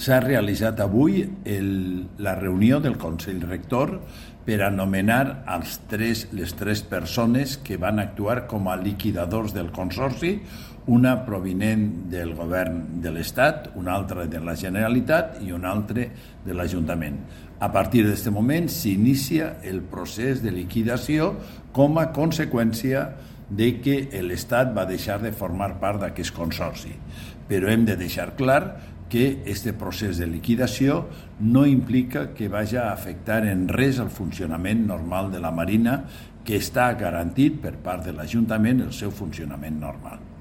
s'ha realitzat avui la reunió del Consell Rector per anomenar les tres persones que van actuar com a liquidadors del Consorci, una provinent del govern de l'Estat, una altra de la Generalitat i una altra de l'Ajuntament. A partir d'aquest moment s'inicia el procés de liquidació com a conseqüència de que l'Estat va deixar de formar part d'aquest consorci. Però hem de deixar clar que aquest procés de liquidació no implica que vagi a afectar en res el funcionament normal de la Marina, que està garantit per part de l'Ajuntament el seu funcionament normal.